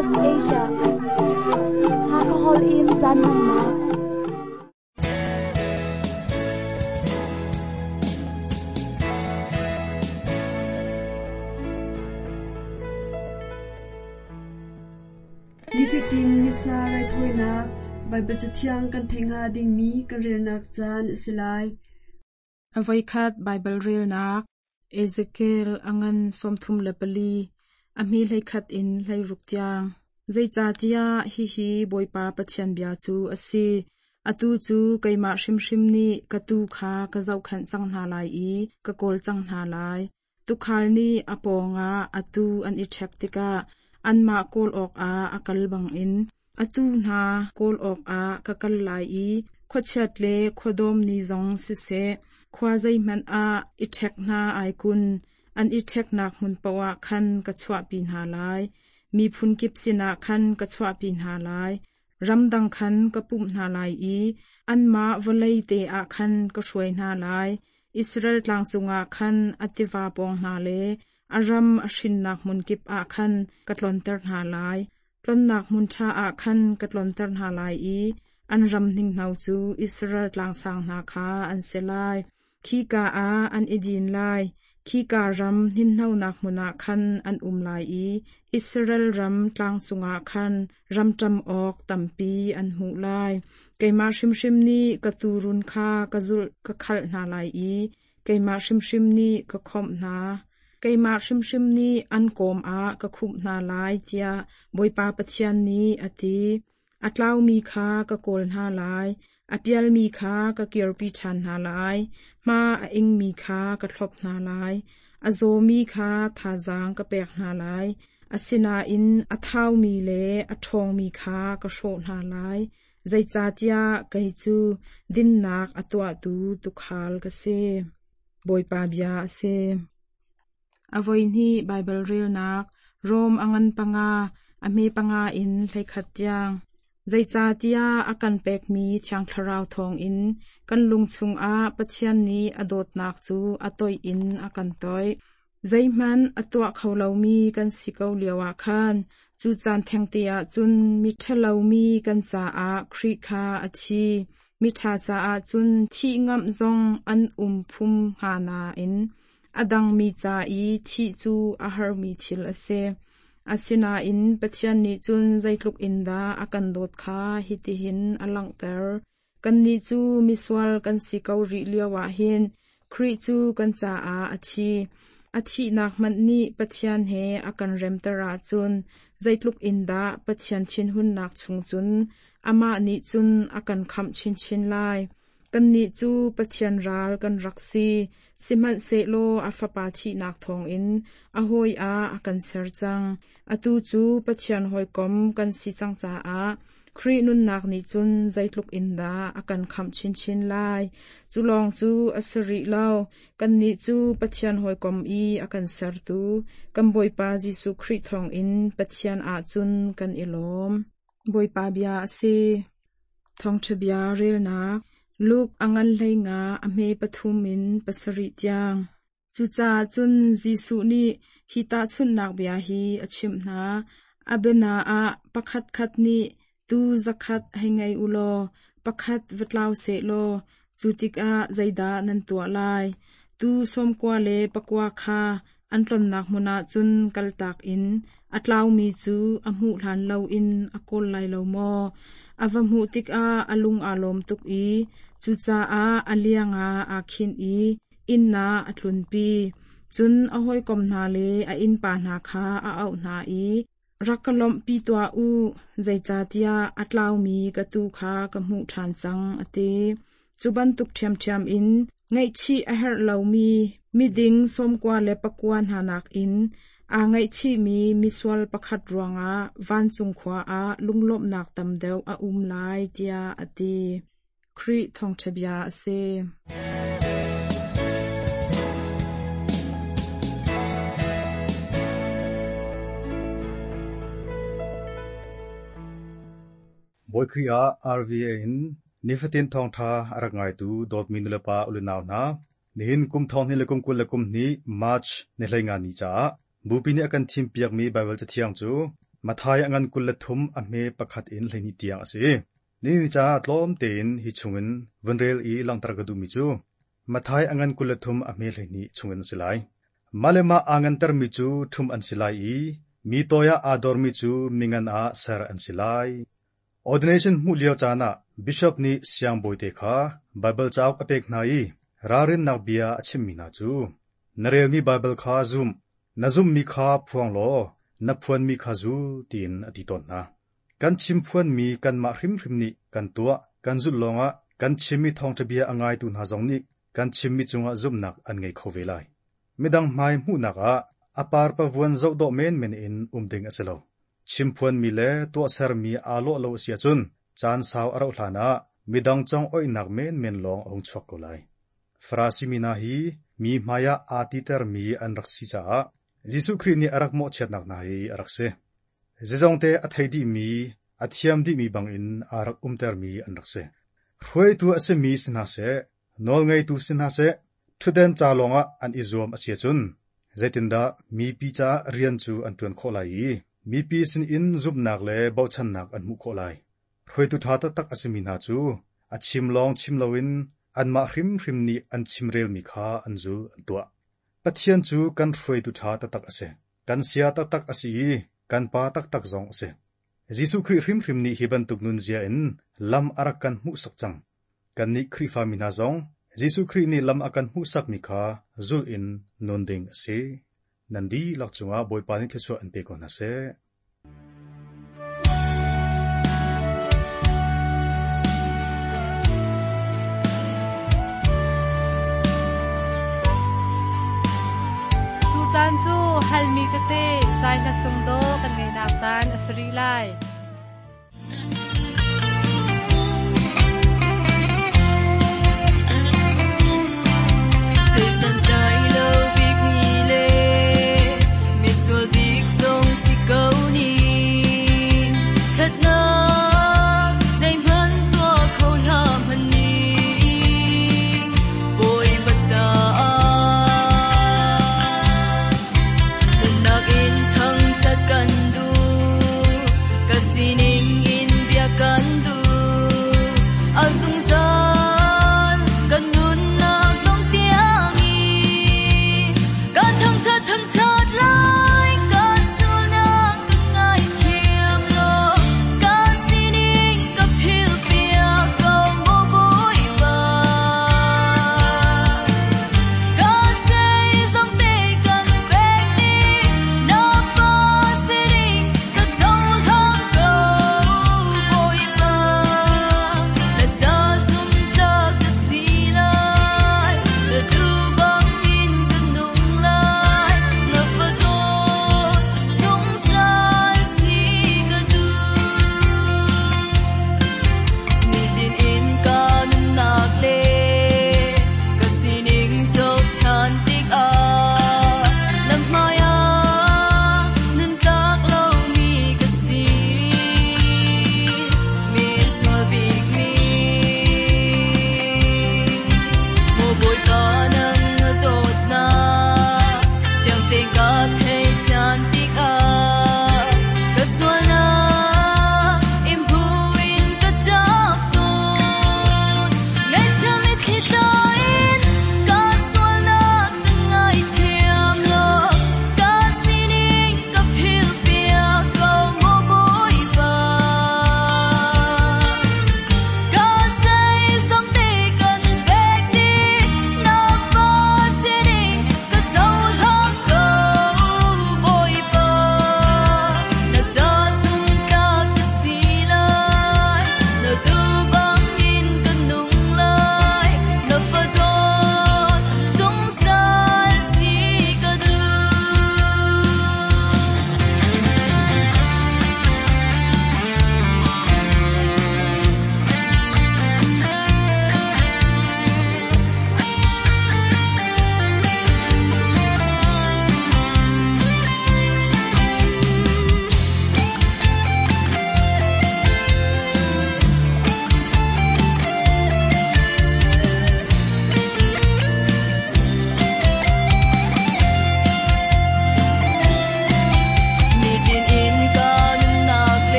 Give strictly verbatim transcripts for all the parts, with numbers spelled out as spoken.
Southwest Asia. Hakahol in caan hmannak. Nifatin Missa raithawinak Baibal Cathiang kan theih hnga dingmi kan relnak caan a si lai. A voikhat Baibal relnak Ezekiel a ngan sawmthum le pali, a hme hleikhat in hleiruk tiang. Zeicahtiah hihi Bawipa Pathian bia cu a si. Atu cu keimah hrimhrim nih ka tuu kha ka zohkhenh cang hna lai i ka kawl cang hna lai. Tuukhal nih a pawngah a tuu an i ṭhek tikah anmah kawl awkah a kal bangin a tuu hna kawl awkah ka kal lai i khuachiat le khuadawm ni zong siseh, khua zeihmanh ah i ṭhek hna ai kun, an i ṭheknak hmun paoh ah khan ka chuahpi hna lai. Miphun kip sinah khan ka chuahpi hna lai. Ramdang khan ka pumh hna lai i anmah vawlei te ah khan ka hruai hna lai. Israel tlang cungah khan a tiva pawng hna le a ram a hrinnak hmun kip ah khan ka tlonter hna lai. Tlonnak hmun ṭha ah khan ka tlonter hna lai i an ram hninghno cu Israel tlangsang hna kha an si lai. Khika ah an i din lai. Khika ram hninhnonak hmun ah khan an um lai i Israel ram tlang cungah khan ramṭam awk tampi an hmuh lai. Keimah hrimhrim nih ka tuurun kha ka zulh ka khalh hna lai i keimah hrimhrim nih ka khawmh hna. Keimah hrimhrim nih an kawm ah ka khumh hna lai, tiah Bawipa Pathian nih a ti. A tlaumi kha ka kawl hna lai, a pialmi kha ka kirpi ṭhan hna lai, hma a ingmi kha ka thlop hna lai, a zawmi kha thazaang ka pek hna lai, asinain a thaumi le a ṭhawngmi kha ka hrawh hna lai. Zeicahtiah kei cu dinnak a tuahtu tuukhal ka si. Bawipa bia a si. A voihnih Baibal relnak Rom a ngan panga, a hme panga in hleikhat tiang. Zeicahtiah a kan pekmi Thiang Thlarau thawngin kan lung chungah Pathian nih a dawtnak cu a toih in a kan toih. Zeihmanh a tuah kho lomi kan si ko lioah khan cu caan thengte ah cun miṭhalomi kan caah Khrih kha a thi. Miṭha caah cun thih ngamh zong an um phum hnga nain a dangmi ca i thih cu a harmi thil a si. Asinain Pathian nih cun zeitluk in dah a kan dawt kha hitihin a langhter. Kannih cu misual kan si ko rih lioah hin Khrih cu kan caah a thi. A thihnak hmanh nih Pathian he a kan remter ahcun zeitluk in dah Pathian thinhunnak chung cun amah nih cun a kan khamh chinchin lai. Kannih cu Pathian ral kan rak si, sihmanhsehlaw a Fapa thihnak thawngin a hawi ah a kan ser cang. Atu cu Pathian hawikom kan si cang caah Khrih nunnak nih cun zeitluk in dah a kan khamh chinchin lai. Cu lawng cu a si rih lo, kannih cu Pathian hawikom i a kan sertu, kan Bawipa Jesuh Khrih thawngin Pathian ahcun kan i lawm. Bawipa bia a si. Thawngṭha bia relnak Luke a ngan hlei nga a hme pathum in pasarih tiang. Cucaah cun Jesuh nih hi tahchunhnak bia hi a chimh hna. A biana ah pakhatkhat nih tuu zakhat hei ngei u law pakhat va tlau sehlaw cu tikah zeidah nan tuah lai? Tuu sawmkua le pakua kha an tlonnak hmun ah cun kaltak in a tlaumi cu a hmuh hlan loin a kawl lai lo maw? A va hmuh tikah a lung aa lawm tuk i cucaah a liang ah aa khinh i inn ah a tlunpi. Cun a hawikom hna le a innpa hna kha a auh hna i, Rak ka lawmhpi tuah u, zeicahtiah a tlaumi ka tuu kha ka hmuh ṭhan cang, a ti. Cu bantuk ṭhiamṭhiam in ngaihchih a herh lomi miding sawmkua le pakua hna nakin aa ngaihchihmi misual pakhat ruangah vancung khua ah lunglawmhnak tam deuh a um lai, tiah a ti. Khrih thawngṭha bia a si. Bawi Khrih ah RVA in nifatin thawngṭha a rak ngaitu dawtmi nulepa ulenau hna, nihin kum thong hnih le kum kul le kum hnih March ni hlei nga ni caah Bupi nih a kan thimpiakmi Baibal Cathiang cu Matthai a ngan kul le thum a hme pakhat in hleihnih tiang a si. Nihin ni caah tlawm tein hi chungin vun rel i langhter ka duhmi cu Matthai a ngan kul le thum a hme hleihnih chungin a si lai. Mah le mah aa ngantermi cu ṭhumh an si lai i mi toi ah aa dormi cu mingan ah ser an si lai. Ordination hmuh lio caan ah Bishop nih siangbawite kha Baibal cauk a pek hna i ralrinnak bia a chimmi hna cu, na relmi Baibal kha zum, na zummi kha phuang law na phuanmi kha zul tiin a ti tawn hna. Kan chimphuanmi kanmah hrimhrim nih kan tuah, kan zulh lawngah kan chimmi thawngṭha bia a ngaitu hna zong nih kan chimmi cungah zumhnak an ngei kho ve lai. Midang hmai hmuhnak ah a parpavuan zoh dawh menmen in um ding a si lo. Chimphuanmi le tuahsermi aa lawh lo a si ahcun caan sau a rauh hlanah midang congoihnak menmen lawng a hung chuak ko lai. Farasi mi hna hi mi hmaiah aa titermi an rak si caah Jesuh Khrih nih a rak mawhchiatnak hna hi a rak si. Zeizongte a thei dihmi, a thiam dihmi bangin aa rak umtermi an rak si. Hruaitu a simi si hna seh, nawlngeitu si hna seh, ṭhutden ca lawngah an i zuam a si ahcun zeitindah mipi caah rian cu an ṭuan khawh lai i mipi sinin zumhnak le bochannak an hmuh khawh lai. Hruaitu ṭha taktak a simi hna cu a chim lawng chim loin anmah hrimhrim nih an chimrelmi kha an zul an tuah. Pathian cu kan hruaitu ṭha taktak a si. Kan sia taktak a si i kan pa taktak zong a si. Jesuh Khrih hrimhrim nih hi bantuk nunzia in lam a rak kan hmuhsak cang. Kannih Khrihfami hna zong Jesuh Khrih nih lam a kan hmuhsakmi kha zulh in nun ding a si. Nan dihlak cungah Bawipa nih thluachuah an pe ko hna seh. Tucaan cu halmi tete zai hla sung dawh kan ngeihnak caan a si rih lai. Santai lo bik mi le misual bik zong si ko ni thatnak zeihmanh tuah kho hlah hmanh ning Bawipa caah nunnak in thangṭhat kan duh ka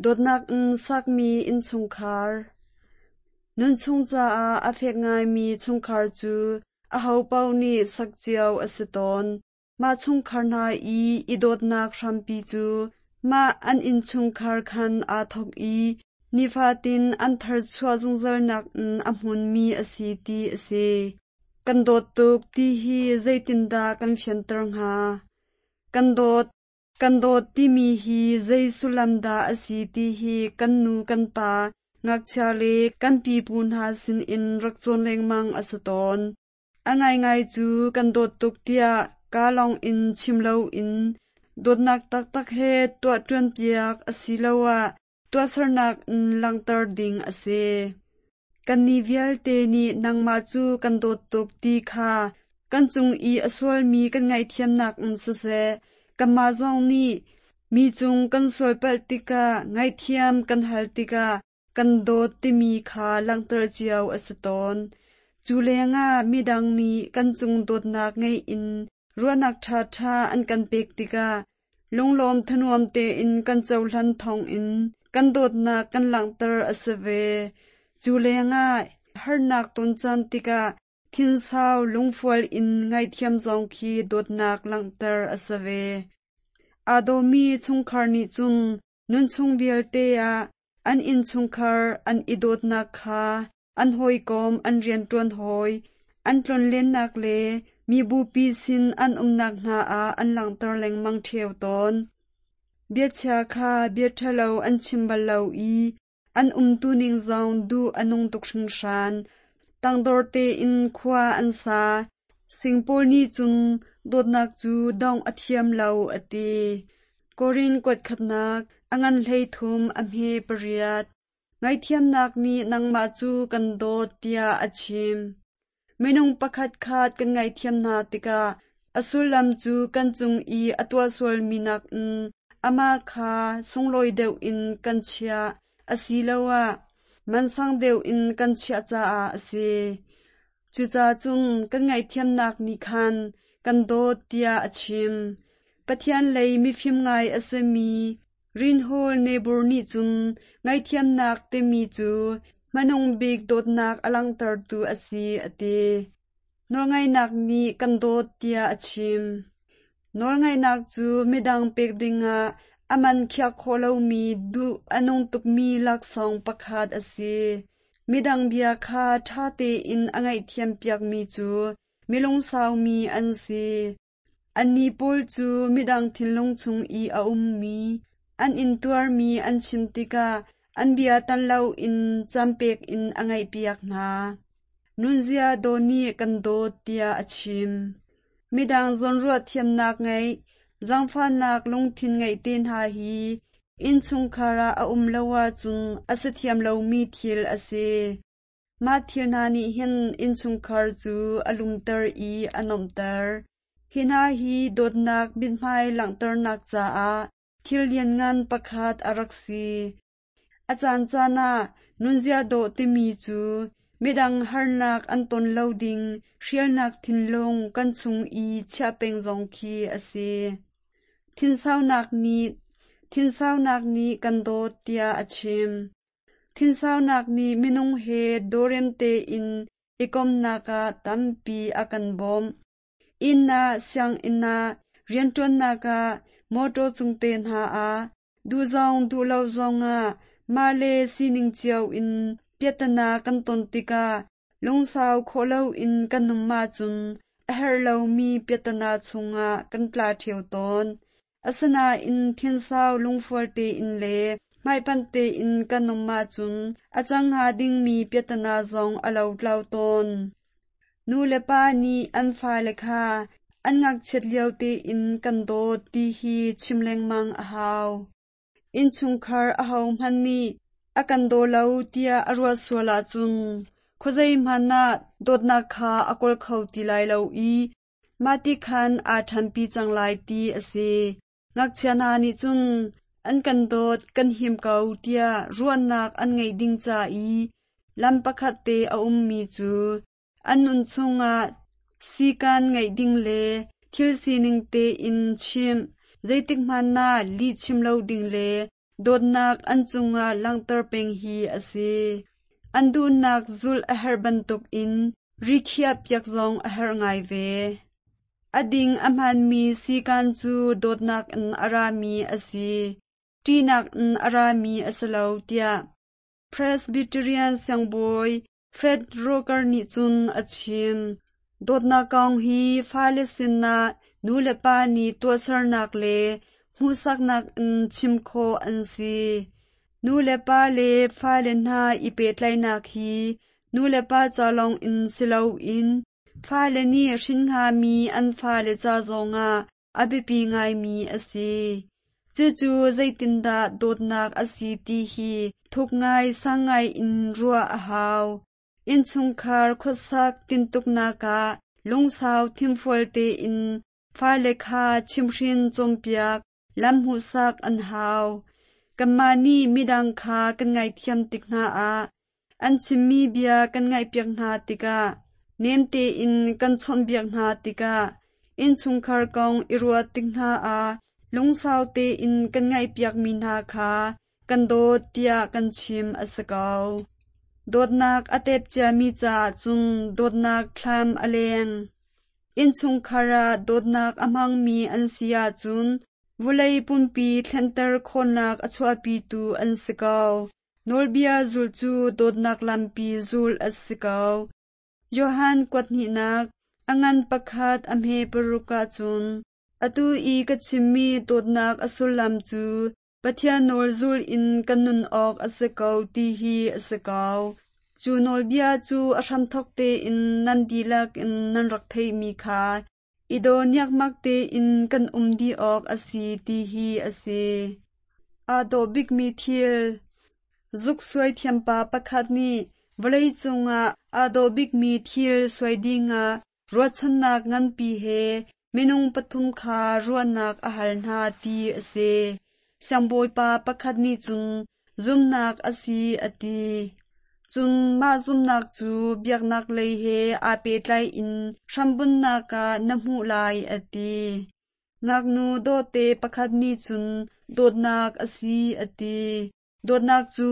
Dawtnak in sakmi innchungkhar. Nunchung caah a fek ngaimi chungkhar cu ahopaoh nih sak cio a si tawn. Mah chungkhar hna i i dawtnak hrampi cu mah an innchungkhar khan aa thawk i nifatin an tharchuah zungzalnak in a hmunmi a si ti a si. Kan dawt tuk ti hi zeitindah kan fianter hnga? Kan dawt, kan dawt timi hi zei sullam dah a si ti hi kan nu kan pa, ngakchia le kan pipu hna sinin rak cawn lengmang a si tawn. A ngaingai cu kan dawt tuk tiah kaa lawng in chim loin dawtnak taktak he tuah ṭuanpiak asiloah tuahsernak in langhter ding a si. Kannih vialte nih nangmah cu kan dawt tuk ti kha kan cung i a sualmi kan ngaihthiamnak in siseh, kanmah zong nih mi cung kan sualpalh tikah ngaihthiam kan hal tikah kan dawt timi kha langhter cio a si tawn. Cu lengah midang nih kan cung dawtnak ngei in ruahnak ṭhaṭha an kan pek tikah lunglawm thanuam tein kan cohlan thawngin kan dawtnak kan langhter a si ve. Cu lengah harnak ton caan tikah thinsau lungfual in ngaihthiam zong khi dawtnak langhter a si ve. Aa dawmi chungkhar nih cun nunchung vialte ah an innchungkhar an i dawtnak kha an hawikom, an rianṭuan hawi, an tlonlennak le mibupi sin an umnak hna ah an langhter lengmang ṭheo tawn. Biachia kha bia ṭhalo an chim bal lo i an umtuning zong duh a nung tuk hringhran. Tangdor tein khua an sa. Sing pawl nih cun dawtnak cu dongh a thiam lo a ti. Korin kuat khatnak a ngan hleithum a hme pariat. Ngaihthiamnak nih nangmah cu kan dawt tiah a chim. Minung pakhat khat kan ngaihthiam hna tikah a sullam cu kan cung i a tuah sualmi nakin amah kha sunglawi deuh in kan chiah asiloah mansang deuh in kan chiah caah a si. Cucaah cun kan ngaihthiamnak nih khan kan dawt tiah a chim. Pathian lei mifim ngai a simi Reinhold Niebuhr nih cun ngaihthiamnak timi cu hmanung bik dawtnak a langhtertu a si a ti. Nawlngaihnak nih kan dawt tiah a chim. Nawlngaihnak cu midang pek dingah a man khiah khawh lomi duh a nung tukmi laksawng pakhat a si. Midang bia kha ṭha tein a ngaihthiam piakmi cu milungsaumi an si. Annih pawl cu midang thinlung chung i a ummi, an intuarmi an chim tikah an bia tan loin campek in a ngaihpiak hna. Nunzia dawh nih kan dawt tiah a chim. Midang zawnruah thiamnak ngeih, zaangfahnak lungthin ngeih te hna hi innchungkhar ah a um lo ahcun a si thiam lomi thil a si. Mah thil hna nih hin innchungkhar cu a lumter i a nuamhter. Hi hna hi dawtnak mithmai langhternak caah thil lianngan pakhat a rak si. A caancaan ah nunzia dawh timi cu midang harnak an ton lo ding hrialnak thinlung kan chung i chiah peng zong khi a si. Thinsaunak nih thinsaunak nih kan dawt tiah a chim. Thinsaunak nih minung he dawrem tein i komnak ah tampi a kan bawmh. Inn ah, sianginn ah, rianṭuannak ah, mawṭaw cung te hna ah, duh zong duh lo zongah mah le sining cio in piahtana kan ton tikah lungsau khawh loin kan um ahcun a herh lomi piahtana chungah kan tla ṭheo tawn. Asinain thinsau lungfual tein le hmaipanh tein kan um ahcun a cang hnga dingmi piahtana zong a lotlau tawn. Nu le pa nih an fale kha an ngakchiat lio tein kan dawt ti hi chim lengmang a hau. Innchungkhar ahohmanh nih a kan daw lo tiah a ruah sual ahcun khuazei hmanh ah dawtnak kha a kawl kho ti lai lo i mahti khan aa ṭhanpi cang lai ti a si. Ngakchia hna nih cun an kan dawt kan him ko tiah ruahnak an ngeih ding ca i lam pakhat te a ummi cu an nun chungah sikan ngeih ding le thil sining tein chimh, zeitik hmanh ah lih chim lo ding le dawtnak an cungah langhter peng hi a si. An duhnak zulh a herh bantukin rikhiah piak zong a herh ngai ve. A ding a hmaanmi sikan cu dawtnak in a rami a si, ṭihnak in a rami a si lo tiah Presbyterian siangbawi Fred Roker nih cun a chim. Dawtnak kong hi fale sinah nulepa nih tuahsernak le hmuhsaknak in chim khawh an si. Nulepa le fale hna i pehtlaihnak hi nulepa ca lawng in si loin fale nih hrin hngami an fale ca zongah a biapi ngaimi a si. Cucu zeitindah dawtnak a si ti hi thuk ngai sang ngai in ruah a hau. Innchungkhar khuasak tintuknak ah lungsau thimfual tein fale kha chimhhrin cawnpiak lam hmuhsak an hau. Kanmah nih midang kha kan ngaihthiam tik hna ah an chimmi bia kan ngaihpiak hna tikah nem tein kan chawnhbiak hna tikah innchungkhar kong i ruah tik hna ah lungsau tein kan ngaihpiakmi hna kha kan dawt tiah kan chim a si ko. Dawtnak a tep ciami caah cun dawtnak thlam a leng. Innchungkhar ah dawtnak a hmangmi an si ahcun vawlei pumpi thlenter khawhnak a chuahpitu an si ko. Nawlbia zulh cu dawtnak lampi zulh a si ko. Johan kuathnihnak a ngan pakhat a hme paruk ahcun atu i ka chimmi dawtnak a sullam cu Pathian nawl zul in kan nun awk a si ko ti hi a si ko. Cu nawlbia cu a hramthawk tein nan dihlak in nan rak theihmi kha i daw niakmak tein kan um dih awk a si ti hi a si. Aa dawh bikmi thil. Zuk suai thiampa pakhat nih vawlei cungah aa dawh bikmi thil suai dingah ruahchannak nganpi he minung pathum kha ruahnak a hal hna ti a si. Siangbawipa pakhat nih cun zumnak a si a ti. Cun mah zumnak cu biaknak lei he aa pehtlai in hrambunnak ah na hmuh lai a ti. Ngaknu dawhte pakhat nih cun dawtnak a si a ti. Dawtnak cu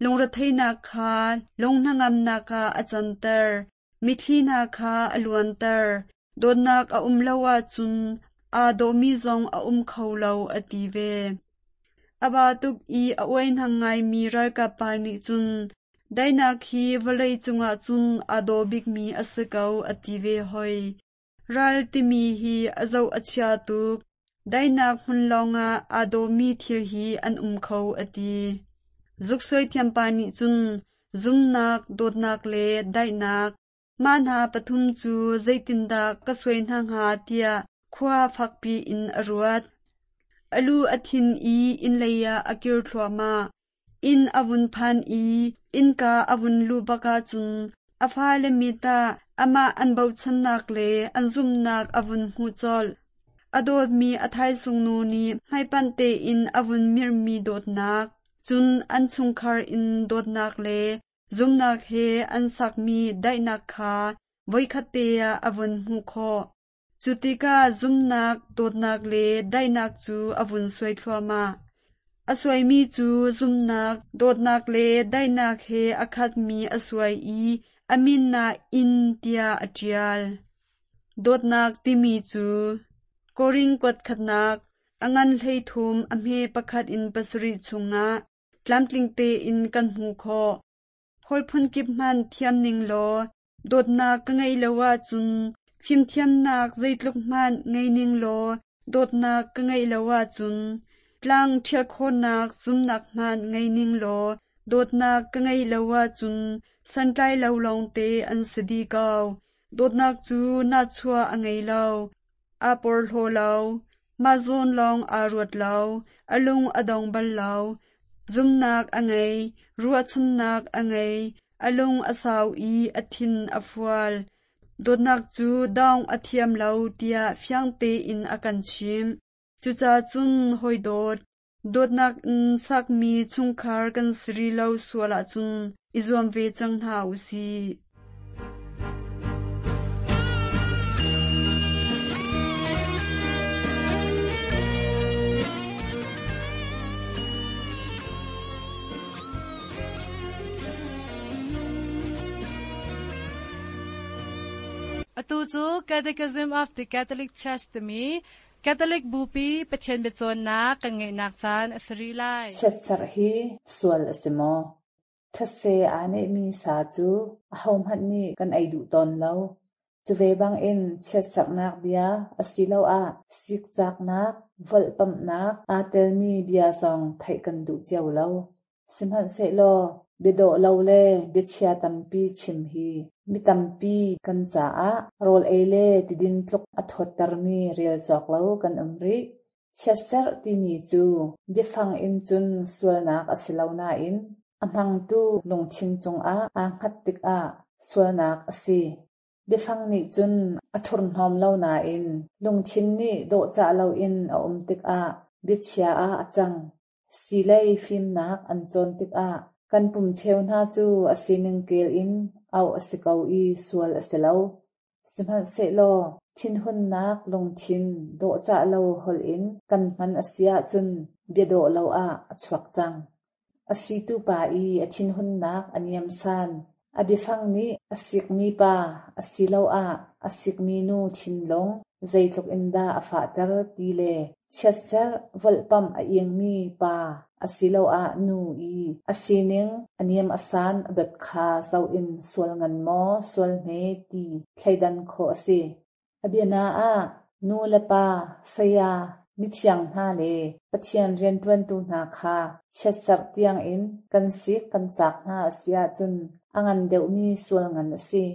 lungretheihnak kha lunghnangamnak ah a canter, mitthli hna kha a luanter. Dawtnak a um lo ahcun aa dawhmi zong a um kho lo a ti ve. A ba tuk i a uaihnang ngaimi ralkap pa nih cun daihnak hi vawlei cungah cun aa dawh bikmi a si ko a ti ve hoi. Ral timi hi a zoh a chia tuk. Daihnak hmun lawngah aa dawhmi thil hi an um kho a ti. Zuksuai thiampa nih cun zumnak, dawtnak le daihnak mah hna pathum cu zeitindah ka suai hna hnga tiah khua fakpi in a ruat. A lu a thin i inn lei ah a kir thluahmah. Inn a vun phan i innka a vun luh bak ahcun a fale mit ah amah an bochannak le an zumhnak a vun hmuh colh. A dawtmi a thaisung nu nih hmaipanh tein a vun mirhmi dawtnak, cun an chungkhar in dawtnak le zumnak he an sakmi daihnak kha voikhat te ah a vun hmuh khawh. Cu tikah zumnak, dawtnak le daihnak cu a vun suai thluahmah. A suaimi cu zumnak, dawtnak le daihnak he a khatmi a suai i a min ah inn tiah a ṭial. Dawtnak timi cu Korin kuat khatnak a ngan hleithum a hme pakhat in pasarih chungah tlamtling tein kan hmuh khawh. Holh phunkip hmanh thiam ning law dawtnak ka ngeih lo ahcun fimthiamnak zeitluk hmanh ngei ning law dawtnak ka ngeih lo ahcun tlang ṭhial khawhnak zumnak hmanh ngei ning law dawtnak ka ngeih lo ahcun santlai lo lawngte an si dih ko. Dawtnak cu nahchuah a ngei lo, aa porhlaw lo, mah zawn lawng aa ruat lo, a lung a dong bal lo. Zumnak a ngei, ruahchannak a ngei, a lung a sau i a thin a fual. Dawtnak cu dawng a thiam lo tiah fiang tein a kan chimh. Cucaah cun hawi dawt, dawtnak in sakmi chungkhar kan si rih lo sual ahcun i zuam ve cang hna u sih. Atu cu Catechism of the Catholic Church timi Catholic Bupi Pathian biacawnnak kan ngeihnak caan a si rih lai. Chiatserh hi sual a si maw? Thetse aa nehmi sa cu ahohmanh nih kan ei duh tawn lo. Cu ve bangin chiatserhnak bia asiloah sikcaknak, volhpamhnak aa telmi bia zong theih kan duh cio lo. Sihmanhsehlaw biadawh lo le biachia tampi chim hi mi tampi kan caah rawl ei le tidin tluk a thawttermi rel cawk lo kan um rih. Chiatserh timi cu biafang in cun sualnak a si lo nain a hmangtu lungthin cungah aa hngat tikah sualnak a si. Biafang nih cun a thurhnawm lo nain lungthin nih dawhcah loin a um tikah biachia ah a cang. Silei fimnak an cawn tikah kan pum cheu hna cu a sining kel in auh a si ko i sual a si lo. Sihmanhsehlaw thinhunnak lungthin dawhcah lo holh in kan hman a si ahcun biadawh lo ah a chuak cang. A situ pa i a thinhunnak a niamsan, a biafang nih a sikmi pa asiloah a sikmi nu thinlung zeitluk in dah a fahter ti le chiatserh volhpamh a ingmi pa asiloah nu i a sining a niam a san a dot kha zoh in sual ngan maw sual hme ti thleidan khawh a si. A biana ah nu le pa, saya, mithiang hna le Pathian rianṭuantu hna kha chiatserh tiangin kan sik kan cak hna a si ahcun a ngan deuhmi sual ngan a si.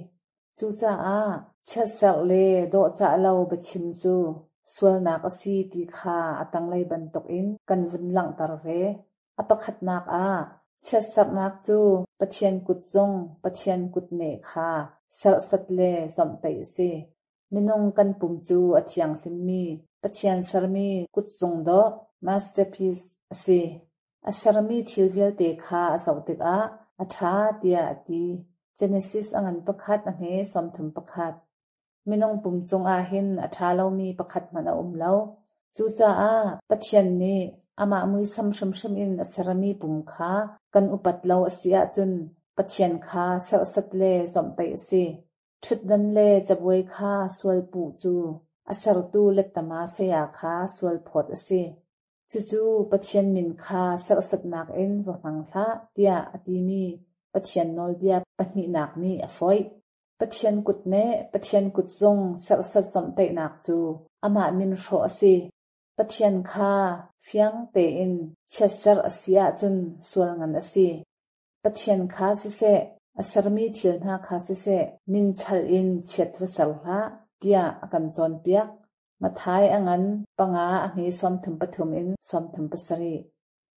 Cucaah chiatserh le dawhcah lo biachim cu sualnak a si ti kha a tanglei bantukin kan vun langhter ve. A pakhatnak ah chiatserhnak cu Pathian kutzung, Pathian kutneh kha serhsat le zawmhtaih a si. Minung kan pum cu a thianghlimmi, Pathian sermi kutzung dawh masterpiece a si. A sermi thil vialte kha a zoh tikah a ṭha tiah a ti. Genesis a ngan pakhat a hme sawmthum pakhat. Minung pum cungah hin a ṭha lomi pakhat hmanh a um lo. Cucaah Pathian nih amah muisam hrimhrim in a sermi pum kha kan upat lo a si ahcun Pathian kha serhsat le zawmhtaih a si. Ṭhutdan le cabuai kha sual puh cu a sertu lettama saya kha sual phawt a si. Cucu Pathian min kha serhsatnak in va hmang hlah tiah a timi Pathian nawlbia pahnihnak nih a foih. Pathian kutneh, Pathian kutzung serhsat zawmhtaihnak cu amah min hrawh a si. Pathian kha fiang tein chiatserh a si ahcun sual ngan a si. Pathian kha siseh, a sermi thil hna kha siseh, min chalh in chiat va ser hlah, tiah a kan cawnpiak. Matthai a ngan panga a hme sawmthum pathum in sawmthum pasarih.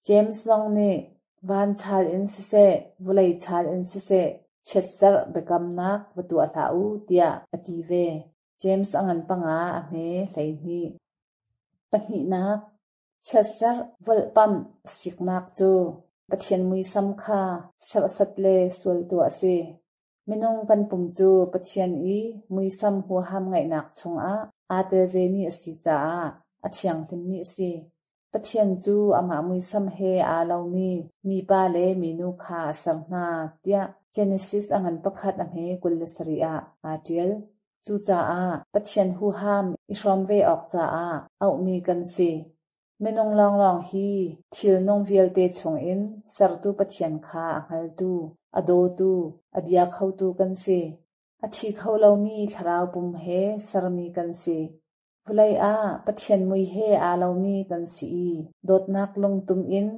James zong nih van chal in siseh, vawlei chal in siseh, chiatserh biakamnak va tuah hlah u tiah a ti ve. James a ngan panga a hme hleihnih. Pahnihnak, chiatserh volhpamh siknak cu Pathian muisam kha serhsat le sual tuah a si. Minung kan pum cu Pathian i muisam huham ngeihnak chungah aa tel vemi a si caah a thianghlimmi a si. Pathian cu amah muisam he aa lomi mipa le minu kha a ser hna tiah Genesis a ngan pakhat a hme kul le sarih ah aa ṭial. Cucaah Pathian huham i hrawm ve awk caah auhmi kan si. Minung lawnglawng hi thilnung vialte chungin sertu Pathian kha a hngaltu, a dawtu, a bia khotu kan si. A thi kho lomi thlarau pum he sermi kan si. Vawlei ah Pathian mui he aa lomi kan si i dawtnak lungtum in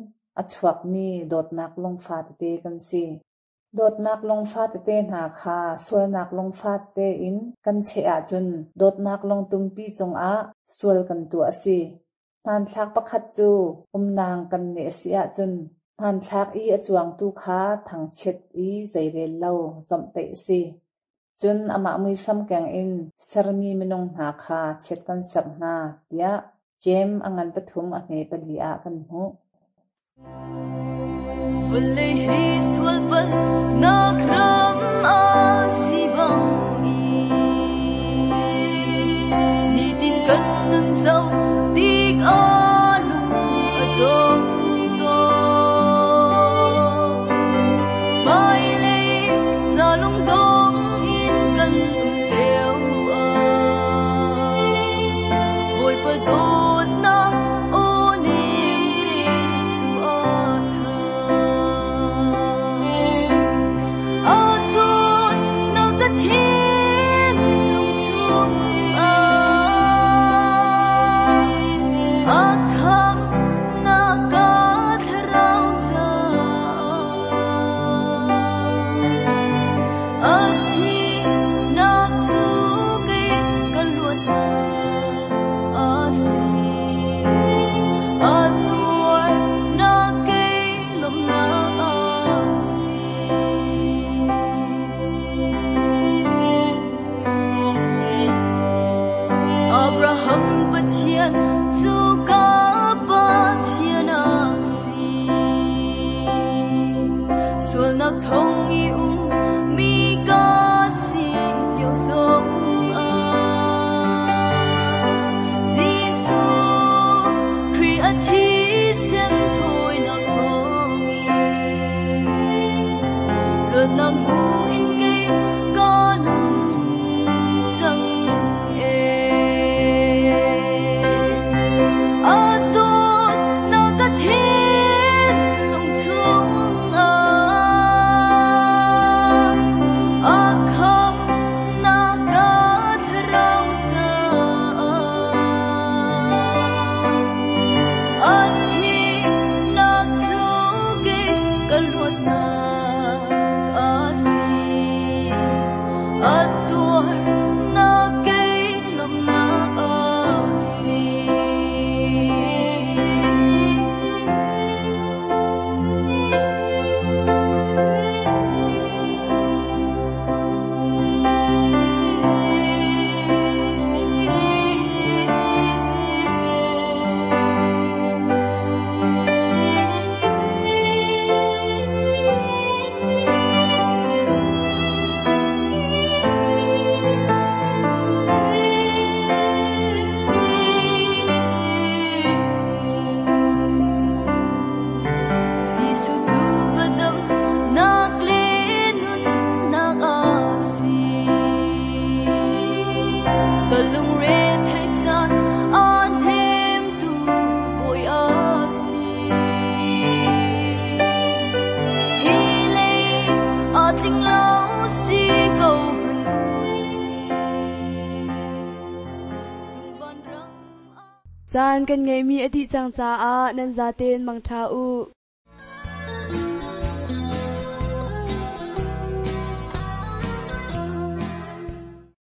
a chuakmi dawtnak lungfa tete kan si. Dawtnak lungfa tete hna kha sualnak lungfa tete in kan cheh ahcun dawtnak lungtumpi cungah sual kan tuah a si. Hmanthlak pakhat cu umnang kan neh a si ahcun hmanthlak i a cuangtu kha thangchiat i zeirel lo zawmhtaih a si. Cun amah muisam keng in sermi minung hna kha chiat kan serh hna tiah Jeim a ngan pathum a hme pali ah kan hmuh. Vawlei hi sual palhnak ram a si bang i nitin kan nun zoh tikah lung a dong tawn. Hmailei ca lungdong in kan um lio Pathian cu ka Pathian a si. Sualnak thong i um mi ka si lio zong ah. Jesuh Khrih a thisen thawinak thawngin luatnak hmu in kei ka nung cang ee. A dawtnak ka thinlung chungah, a khamhnak ka thlarau caah, a thihnak cu kei ka luatnak a si. A tuarnak kei lawmhnak a si. Jesuh cu ka damnak le nunnak a si. Ka lungre theih caan a hnemtu Bawi a si. Hi lei a tling lo si ko hmanh u si. Cung van ram Caan kan ngeihmi a dih cang caah nan zaten mangṭha u.